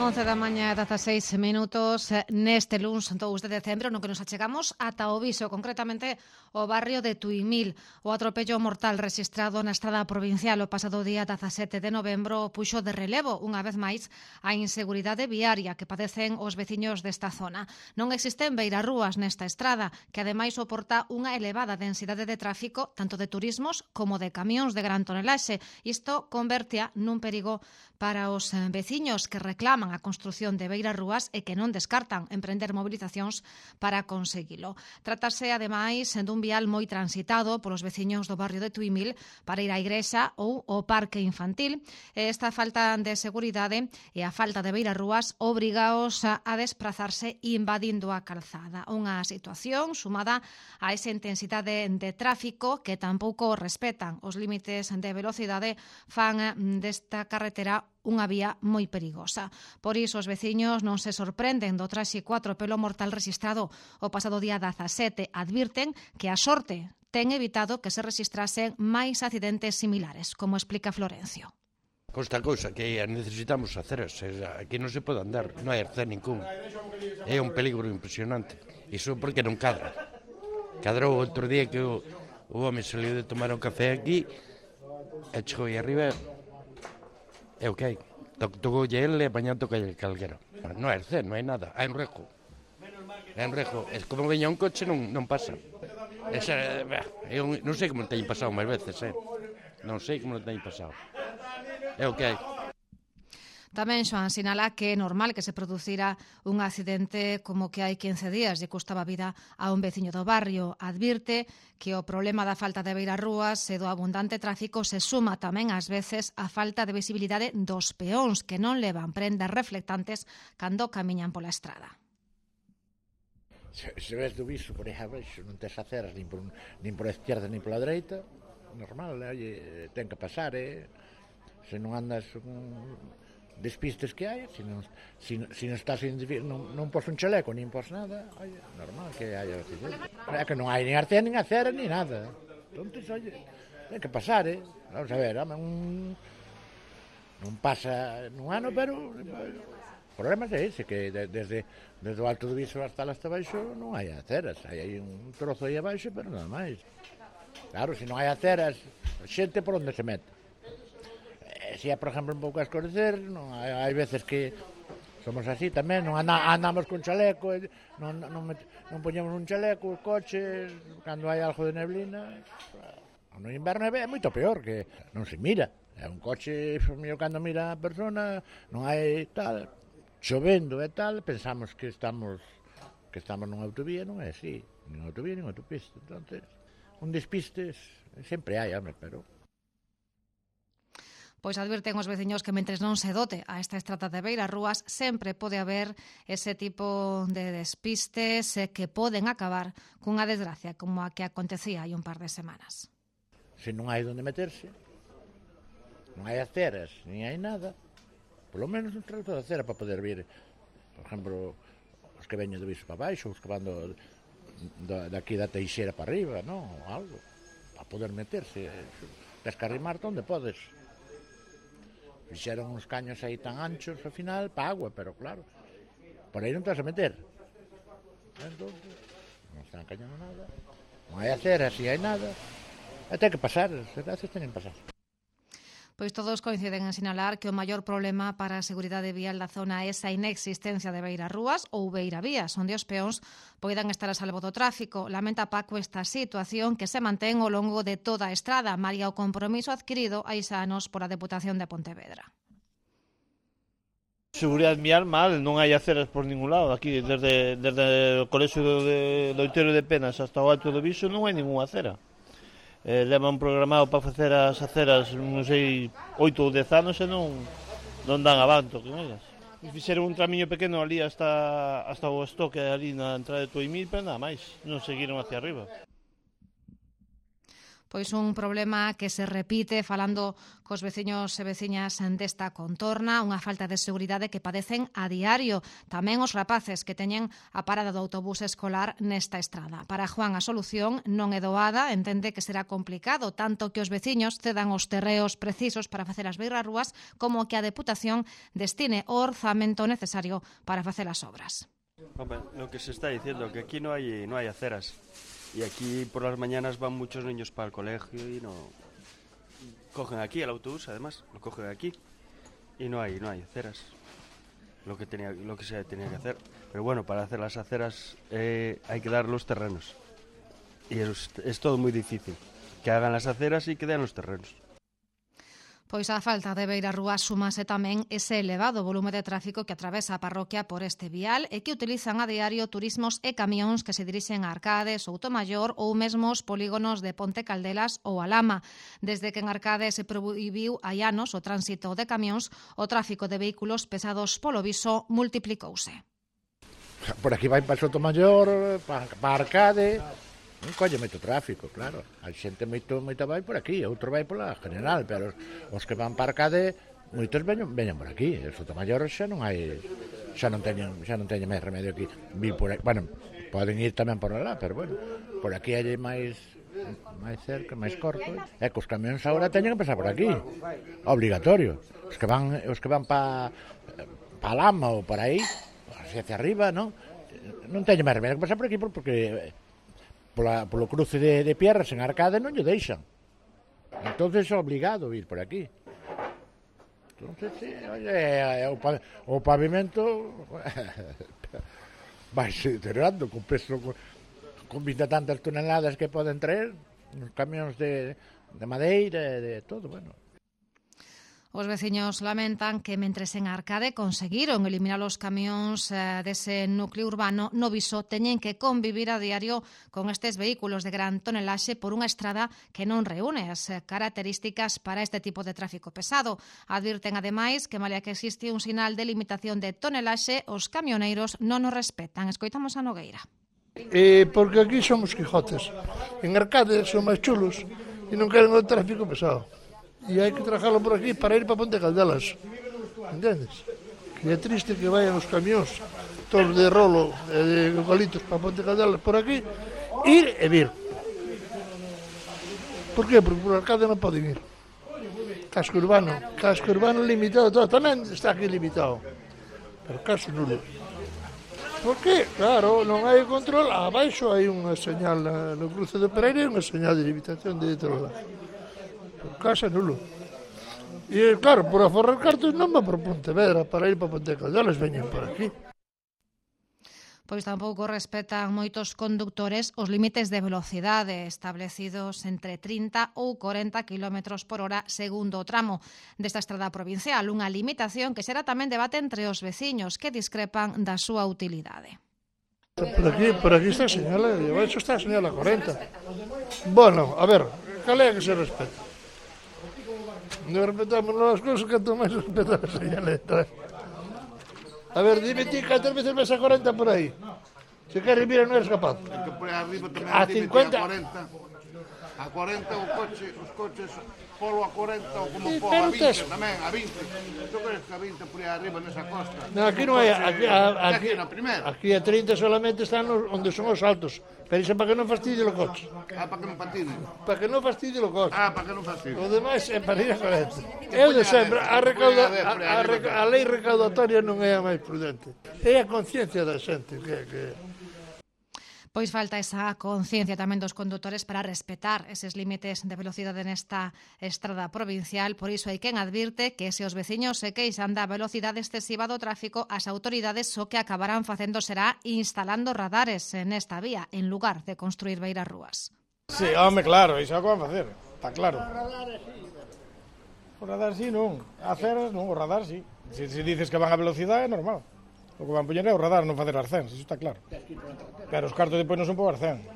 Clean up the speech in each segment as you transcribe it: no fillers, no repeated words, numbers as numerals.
11 da mañá, 16 minutos, neste luns 2 de decembro, no que nos achegamos ata o Viso, concretamente o barrio de Tuimil. O atropello mortal rexistrado na estrada provincial o pasado día 17 de novembro puxo de relevo, unha vez máis, a inseguridade viaria que padecen os veciños desta zona. Non existen beirarrúas nesta estrada, que ademais soporta unha elevada densidade de tráfico, tanto de turismos como de camións de gran tonelaxe. Isto convertea nun perigo para os veciños que reclaman a construción de beirarrúas e que non descartan emprender mobilizacións para conseguilo. Trátase, ademais, dun vial moi transitado polos veciños do barrio de Tuimil para ir á igrexa ou ao parque infantil. Esta falta de seguridade e a falta de beirarrúas obrigaos a desplazarse invadindo a calzada. Unha situación sumada a esa intensidade de tráfico que tampouco respetan os límites de velocidade fan desta carretera unha vía moi perigosa. Por iso os veciños non se sorprenden do tráxico atropelo mortal rexistrado o pasado día 17. Advirten que a sorte ten evitado que se rexistrasen máis accidentes similares, como explica Florencio. Esta cousa que necesitamos aceras, aquí non se pode andar, non hai arcén ningún. É un peligro impresionante. Iso porque non cadra. Cadrou outro día que o home saliu de tomar un café aquí e chegou aí arriba. É o que hai. Tocoulle ele e mañá tocalle calquera. Non hai arcén, non hai nada. Hai un rejo. É un rejo. É como veña un coche non pasa. Non sei como teñen pasado máis veces, Non sei como teñen pasado. É o que hai. Tamén Xoán sinala que é normal que se producira un accidente como que hai 15 días lle custaba a vida a un veciño do barrio. Advirte que o problema da falta de beirarrúas e do abundante tráfico se suma tamén ás veces a falta de visibilidade dos peóns que non levan prendas reflectantes cando camiñan pola estrada. Se ves do Viso por aí abaixo non tes aceras nin por a esquerda nin pola dereita, normal, ten que pasar, se non andas despistes que hai, se non estás non pos un chaleco, nin pos nada, normal que hai accidente. É que non hai nin arcén, nin acera, nin nada. Entón, ten que pasar, Vamos a ver, non pasa nun ano, pero o problema é ese, que desde o alto do Viso hasta abaixo non hai aceras, hai un trozo aí abaixo, pero nada máis. Claro, se non hai aceras, a xente por onde se mete? Se é, por exemplo, un pouco a escurecer, hai veces que somos así tamén, non andamos con chaleco, non poñemos un chaleco, os coches, cando hai algo de neblina. No inverno é moito peor, que non se mira. É un coche, cando mira a persona, non hai tal, chovendo e tal, pensamos que estamos nunha autovía, non é así, nin autovía, nin autopista. Entonces, un despistes sempre hai, pero... Pois advirten os veciños que mentres non se dote a esta estrada de beirarrúas sempre pode haber ese tipo de despistes que poden acabar cunha desgracia como a que acontecía hai un par de semanas. Se non hai onde meterse, non hai aceras, nin hai nada, polo menos un trato de acera para poder vir, por exemplo, os que veñen do Viso para baixo, os que van daqui da Teixeira para arriba, non? Algo, para poder meterse. Tens que arrimarte onde podes. Fixeron uns caños aí tan anchos ao final para agua, pero claro, por aí non te vas a meter. Entón, non están cañando nada, non hai aceras, si hai nada, e ten que pasar, as desgracias teñen que pasar. Pois todos coinciden en sinalar que o maior problema para a seguridade vial da zona é esa inexistencia de beirarrúas ou beiravías, onde os peóns poidan estar a salvo do tráfico. Lamenta Paco esta situación que se mantén ao longo de toda a estrada, malia o compromiso adquirido hai anos pola Deputación de Pontevedra. Seguridade vial mal, non hai aceras por ningún lado. Aquí, desde o colexio do Outeiro de Penas hasta o Alto do Viso, non hai ninguna acera. Levan programado para facer as aceras, non sei, 8 ou 10 anos e non dan avanto con elas. Fixeron un tramiño pequeno ali hasta o estoque ali na entrada de Tuimil, pero nada máis, non seguiron hacia arriba. Pois un problema que se repite falando cos veciños e veciñas desta contorna, unha falta de seguridade que padecen a diario. Tamén os rapaces que teñen a parada do autobús escolar nesta estrada. Para Juan a solución non é doada, entende que será complicado tanto que os veciños cedan os terreos precisos para facer as beirarrúas como que a Deputación destine o orzamento necesario para facer as obras. Hombre, lo que se está diciendo, que aquí no hay aceras. Y aquí por las mañanas van muchos niños para el colegio y no... Cogen aquí el autobús, además, lo cogen aquí. Y no hay aceras. Lo que se tenía que hacer. Pero bueno, para hacer las aceras hay que dar los terrenos. Y es todo muy difícil. Que hagan las aceras y que den los terrenos. Pois a falta de beirarrúas súmase tamén ese elevado volume de tráfico que atravesa a parroquia por este vial e que utilizan a diario turismos e camións que se dirixen a Arcade, Soutomaior ou mesmo os polígonos de Ponte Caldelas ou Alama. Desde que en Arcade se prohibiu hai anos o tránsito de camións, o tráfico de vehículos pesados polo viso multiplicouse. Por aquí vai para Soutomaior, para Arcade, non colle moito tráfico, claro. A xente moita vai por aquí, outro vai pola General, pero os que van para Arcade, moitos veñen por aquí. El Soutomaior xa non teñen máis remedio aquí. Por aquí. Bueno, poden ir tamén por lá, pero bueno, por aquí hai máis cerca, máis corto. E que os camións agora teñen que pasar por aquí. Obligatorio. Os que van para Lama ou por aí, hacia arriba, non teñen máis remedio que pasar por aquí porque polo cruce de Pierras en Arcade non lle deixan. Entonces é obligado ir por aquí. Entonces, sí, o pavimento vai se deteriorando con peso, con 20 tantas toneladas que poden traer, os camións de madeira, de todo, bueno. Os veciños lamentan que mentres en Arcade conseguiron eliminar os camións dese núcleo urbano, no Viso teñen que convivir a diario con estes vehículos de gran tonelaxe por unha estrada que non reúne as características para este tipo de tráfico pesado. Advirten ademais que malia que existe un sinal de limitación de tonelaxe, os camioneiros non o respetan. Escoitamos a Nogueira. Porque aquí somos quijotes. En Arcade son máis chulos e non queren o tráfico pesado. E hai que trajarlo por aquí para ir para Ponte Caldelas, entendes? Que é triste que vayan os camións todos de rolo e de eucaliptos para Ponte Caldelas por aquí, ir e vir. Por qué? Porque por Arcade non poden ir. Casco urbano limitado todo, tamén está aquí limitado, pero caso nulo. Por qué? Claro, non hai control, abaixo hai unha señal no cruce do Pereira e unha señal de limitación de outro lado. Casa nulo. E claro, por aforrar cartos non me por Pontevedra para ir para Ponte Caldelas, veñen por aquí. Pois tampouco respetan moitos condutores os límites de velocidade establecidos entre 30 ou 40 km por hora segundo o tramo desta estrada provincial, unha limitación que será tamén debate entre os veciños que discrepan da súa utilidade. Por aquí está a señal, eso está a señal a 40. Bueno, a ver, cal é que se respeta? Non respetamos as cousas, canto máis respetar a señaleta. A ver, dime ti, cantas veces ves a 40 por aí? Se queres, mira, non eres capaz. A 50... A 40 os coches polo a 40 ou como polo a 20 tamén, a 20. Tu crees que a 20 por aí arriba nesa costa? Non, aquí non hai, aquí a 30 solamente están onde son os altos. Pero iso para que non fastidie o coche. Para que non patine. Para que non fastidie o coche. Para que non fastidie. O demais é para ir a 40. Eu de sempre, a lei recaudatoria non é a máis prudente. É a conciencia da xente que... Pois falta esa conciencia tamén dos condutores para respetar eses límites de velocidade nesta estrada provincial. Por iso hai quen advirte que se os veciños se queixan da velocidade excesiva do tráfico, as autoridades o que acabarán facendo será instalando radares nesta vía, en lugar de construir beirarrúas. Sí, home, claro, iso é o que van facer, está claro. O radar sí, non. Aceras non, o radar sí. Se dices que van a velocidade é normal. O que van poñer é o radar, non facer arcéns, iso está claro. Pero os cartos depois non son por arcén.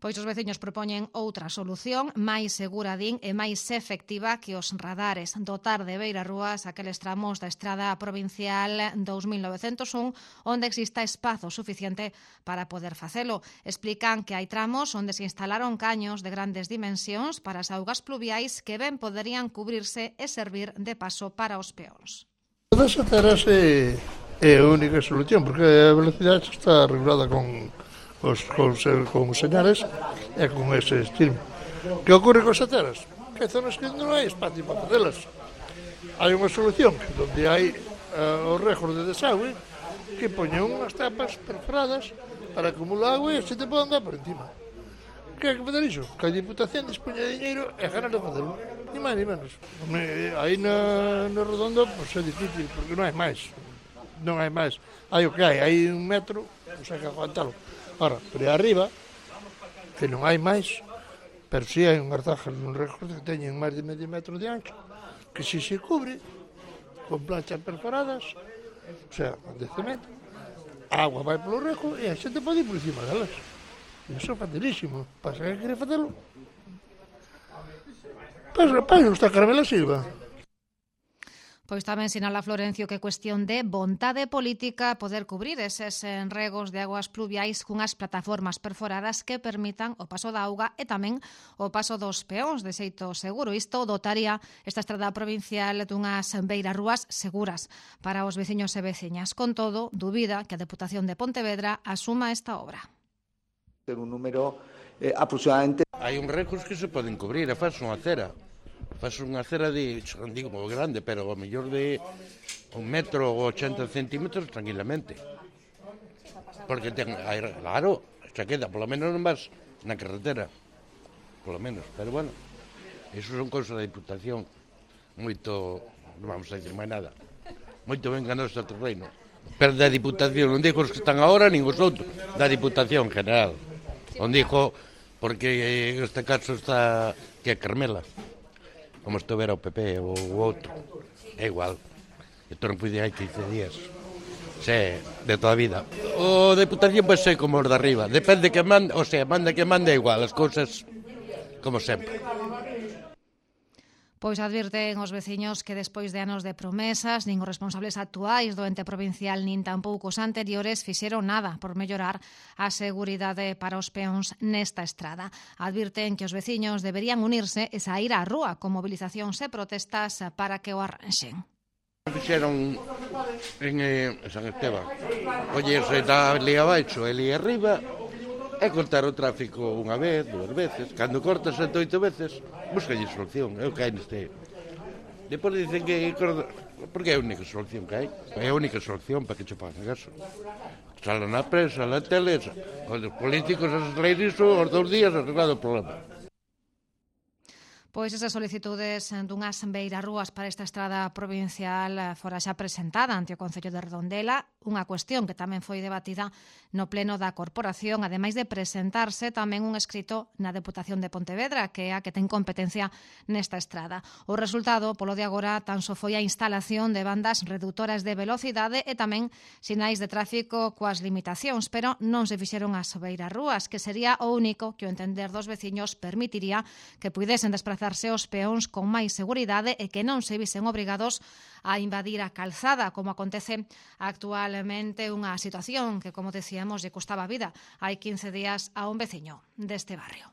Pois os veciños propoñen outra solución, máis segura, din, e máis efectiva que os radares. Dotar de beirarrúas aqueles tramos da estrada provincial 2901 onde exista espazo suficiente para poder facelo. Explican que hai tramos onde se instalaron caños de grandes dimensións para as augas pluviais que ben poderían cubrirse e servir de paso para os peóns. Das aceras é a única solución, porque a velocidade está regulada con señales e con ese estilo. Que ocorre con as aceras? Que hai zonas que non hai espacio para facelas. Hai unha solución, onde hai os regos de desagüe, que poñen unhas tapas perforadas para acumular agua e se te pode andar por encima. Que hai que fazer iso? Que a Diputación dispoña de dinheiro e ganas de facelo. Ni máis ni menos. Aí no Redondo pois é difícil, porque non hai máis. Non hai máis. Hai o que hai 1 metro, pois hai que aguantalo. Ora, pero arriba, que non hai máis, pero si hai unhas zajas nun recorte que teñen máis de medio metro de ancho, que si se cubre con planchas perforadas, o sea, de cemento, a agua vai polo reco e a xente pode ir por encima delas. Iso é facilísimo. Pasa que quere facelo. Pois está Carmela Silva. Pois tamén sinala Florencio que é cuestión de vontade política poder cubrir eses regos de aguas pluviais cunhas plataformas perforadas que permitan o paso da auga e tamén o paso dos peóns de xeito seguro. Isto dotaría esta estrada provincial dunhas beirarrúas seguras para os veciños e veciñas. Con todo, dubida que a Deputación de Pontevedra asuma esta obra. Un número aproximadamente... Hai uns regos que se poden cubrir, faz unha acera. Faz unha acera de, non digo moi grande, pero ao mellor de 1 metro ou 80 centímetros tranquilamente. Porque claro, xa queda, polo menos non vas na carretera, polo menos, pero bueno, iso son cousas da Diputación, moito, non vamos a dicir máis nada, moito ben ganou este terreno. Pero da Diputación, non digo os que están agora, nin os outros, da Diputación general. Non digo, porque este caso está que é Carmela. Como estovera o PP ou o outro, é igual. Isto non puide hai 15 días. Se, de toda a vida. O Deputación pois é como os de arriba. Depende que manda, o sea, manda que manda igual, as cousas como sempre. Pois advirten os veciños que despois de anos de promesas, nin os responsables actuais do ente provincial nin tampouco os anteriores fixeron nada por mellorar a seguridade para os peóns nesta estrada. Advirten que os veciños deberían unirse e saír á rúa con movilizacións e protestas para que o arranxen. Fixeron en San Esteban, collerse da ali abaixo e ali arriba, é cortar o tráfico unha vez, 2 veces. Cando cortas 7 8 veces, buscalle solución. É o que hai neste. Depois dicen que... Porque é a única solución que hai. É a única solución para que che pagan gaso. Sala na prensa, na tele, os políticos as leis iso, os 2 días arreglado o problema. Pois esas solicitudes dunhas beirarrúas para esta estrada provincial fora xa presentada ante o Concello de Redondela, unha cuestión que tamén foi debatida no pleno da Corporación, ademais de presentarse tamén un escrito na Deputación de Pontevedra, que é a que ten competencia nesta estrada. O resultado, polo de agora, tan só foi a instalación de bandas reductoras de velocidade e tamén sinais de tráfico coas limitacións, pero non se fixeron as beirarrúas, que sería o único que o entender dos veciños permitiría que puidesen desplazarse os peóns con máis seguridade e que non se visen obrigados a invadir a calzada, como acontece actualmente, unha situación que, como decíamos, lle costaba a vida hai 15 días a un veciño deste barrio.